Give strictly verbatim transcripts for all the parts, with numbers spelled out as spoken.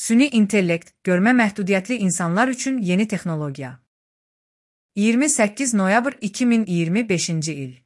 Süni intellekt, görmə məhdudiyyətli insanlar üçün yeni texnologiya. iyirmi səkkiz noyabr iki min iyirmi beşinci il.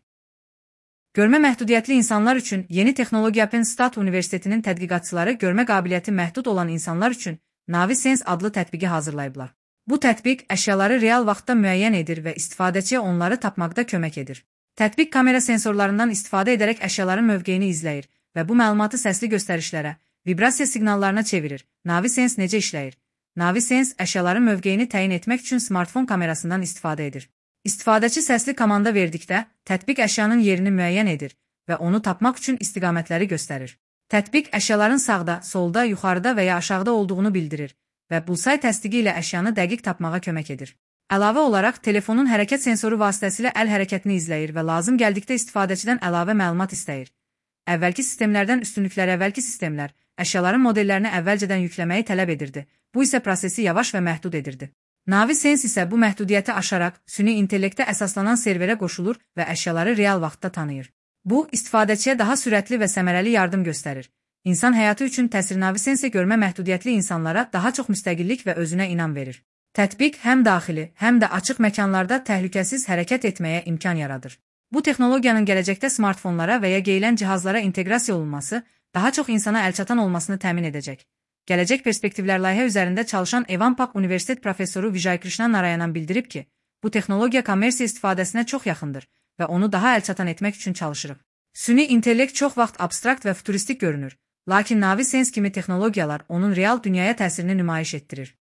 Görmə məhdudiyyətli insanlar üçün yeni texnologiya Penn State Universitetinin tədqiqatçıları görmə qabiliyyəti məhdud olan insanlar üçün NaviSense adlı tətbiqi hazırlayıblar. Bu tətbiq əşyaları real vaxtda müəyyən edir və istifadəçiyə onları tapmaqda kömək edir. Tətbiq kamera sensorlarından istifadə edərək əşyaların mövqeyini izləyir və bu məlumatı səsli göstərişlərə, vibrasiya siqnallarına çevirir. NaviSense necə işləyir? NaviSense əşyaların mövqeyini təyin etmək üçün smartfon kamerasından istifadə edir. İstifadəçi səsli komanda verdikdə, tətbiq əşyanın yerini müəyyən edir və onu tapmaq üçün istiqamətləri göstərir. Tətbiq əşyaların sağda, solda, yuxarıda və ya aşağıda olduğunu bildirir və Bullseye təsdiqi ilə əşyanı dəqiq tapmağa kömək edir. Əlavə olaraq, telefonun hərəkət sensoru vasitəsilə əl hərəkətini izləyir və lazım gəldikdə istifadəçidən əlavə məlumat istəyir. Əvvəlki sistemlərdən üstünlüklər əvvəlki sistemlər, əşyaların modellərini əvvəlcədən yükləməyi tələb edirdi. Bu isə prosesi yavaş və məhdud edirdi. NaviSense isə bu məhdudiyyəti aşaraq, süni intellektə əsaslanan serverə qoşulur və əşyaları real vaxtda tanıyır. Bu, istifadəçiyə daha sürətli və səmərəli yardım göstərir. İnsan həyatı üçün təsir NaviSense görmə məhdudiyyətli insanlara daha çox müstəqillik və özünə inam verir. Tətbiq həm daxili, həm də açıq məkanlarda təhlükəsiz hərəkət etməyə imkan yaradır. Bu texnologiyanın gələcəkdə smartfonlara və ya geyilən cihazlara inteqrasiya olunması daha çox insana əlçatan olmasını təmin edəcək. Gələcək perspektivlər layihə üzərində çalışan Evan-Pak Universitet professoru Vijay Krishna Narayanan bildirib ki, bu texnologiya kommersiya istifadəsinə çox yaxındır və onu daha əlçatan etmək üçün çalışırıq. Süni intellekt çox vaxt abstrakt və futuristik görünür, lakin NaviSense kimi texnologiyalar onun real dünyaya təsirini nümayiş etdirir.